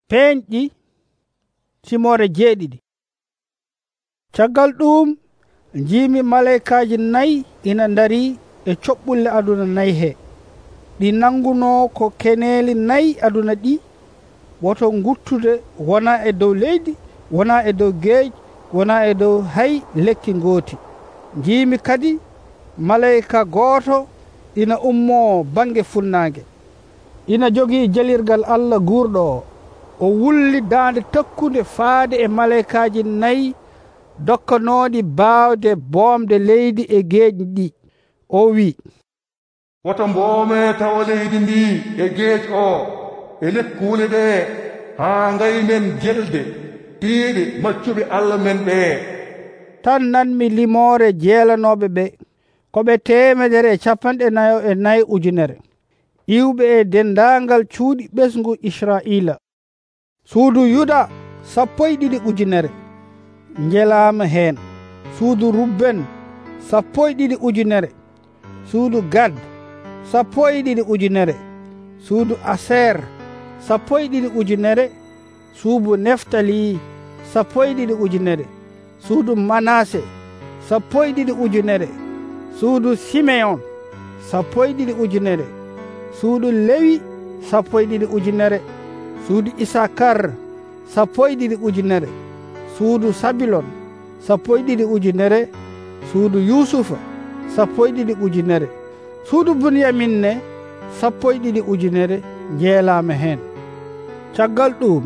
Peeñɗi Timore 7. Caggal ɗum njiimi malaykaaji 4 ina ndarii e coɓɓulle aduna 4 he. Ɗi nangunoo ko keneeli 4 aduna ɗi, woto nguttude wonaa e dow leydi, wonaa e dow geej, wonaa e dow hay lekki ngooti. Njiimi kadi malayka gooto ina ummoo baŋnge funnaange. Ina jogii jalirgal Allah guurɗo o. O wulli daande takkunde faade e malaykaaji 4 dokkanooɗi baawde boomde leydi e geeƴi ɗi. O wi'i, woto mboomee tawa leydi ndi e geej o e lekkuule ɗee haa ngaynen gelɗe tiiɗe maccuɓe Allah men ɓee. Tan nanmi limoore jeelanooɓe ɓe, ko ɓe 144,000 iwɓe e denndaangal cuuɗi ɓesngu Israa'iila. Suudu Yuda 12,000 njelaama heen. Suudu Rubben 12,000. Suudu Gad 12,000. Suudu Aser 12,000. Suudu Neftali 12,000. Suudu Manase 12,000. Suudu Simeon 12,000. Suudu Lewi 12,000. Suudu Isakar 12,000. Suudu Sabilon 12,000. Suudu Yusufa 12,000. Suudu Bunyaminne 12,000 njeelaama heen. Caggal ɗum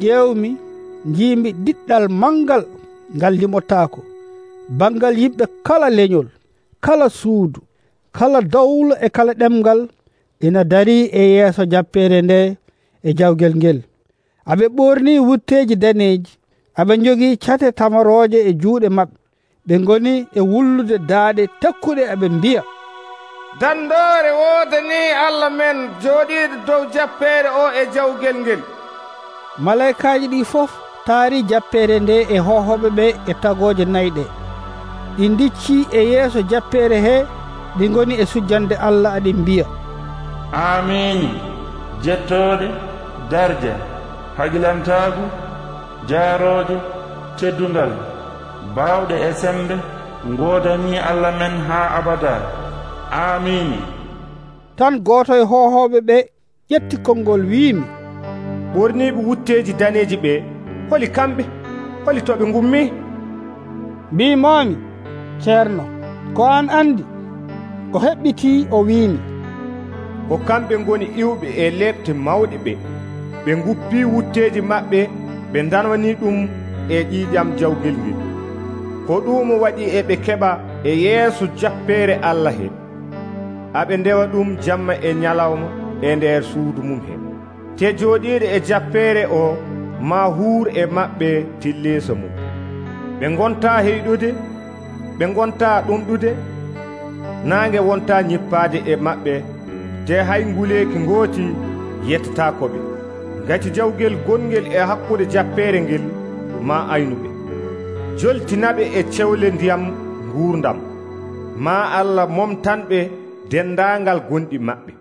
ƴeewmi njiimi diɗɗal mangal ngal limotaako, bangal yimɓe kala leñol, kala suudu, kala dawlo e kala ɗemgal ina darii e yeeso jappeere nde e jawgel ngel. Aɓe ɓornii wutteeji daneeji, aɓe njogii cate tamarooje e juuɗe maɓɓe. Ɓe ngoni e wullude daaɗe takkuɗe, aɓe mbiya, dandoore woodanii Allah men jooɗiiɗo dow jappeere o e jawgel ngel. Malaykaaji ɗi fof taarii jappeere nde e hohoɓe ɓe e tagooje 4 ɗe. Ɗi ndiccii e yeeso jappeere he, ɗi ngoni e sujjande Allah, aɗi mbiya, amiini. Jettooɗe, darja, hagilantaagu, jaarooje, teddungal, baawɗe e sembe, ngoodanii Allah men haa abadaa. Amiini. Tan gooto e hohooɓe ɓe ƴetti konngol wiimi, ɓorniiɓe wutteeji daneeji ɓe, holi kamɓe? Holi to ɓe ngummii? Mbimoomi, ceerno, ko an anndi? O heɓɓitii o wiimi, ko kamɓe ngoni iwɓe e leɓte mawɗe ɓe. Ɓe nguppii wutteeji maɓɓe, ɓe danwanii ɗum e ƴiiƴam jawgel ngel. Ko ɗum waɗi e ɓe keɓa e yeeso jappeere Allah he. Aɓe ndewa ɗum jamma e ñalawma e nder suudu mum he. Te jooɗiiɗo e jappeere o maa huur e maɓɓe tilleesa mum. Ɓe ngontaa heyɗude, ɓe ngontaa ɗumɗude, naange wontaa ñippaade e maɓɓe, te hay nguleeki ngooti yettataako ɓe. Ngati jawgel gongel e hakkude jappeere ngel maa aynuɓe, joltinaɓe e cewle ndiyam nguurdam. Maa Allah momtanɓe denndaangal gonɗi maɓɓe.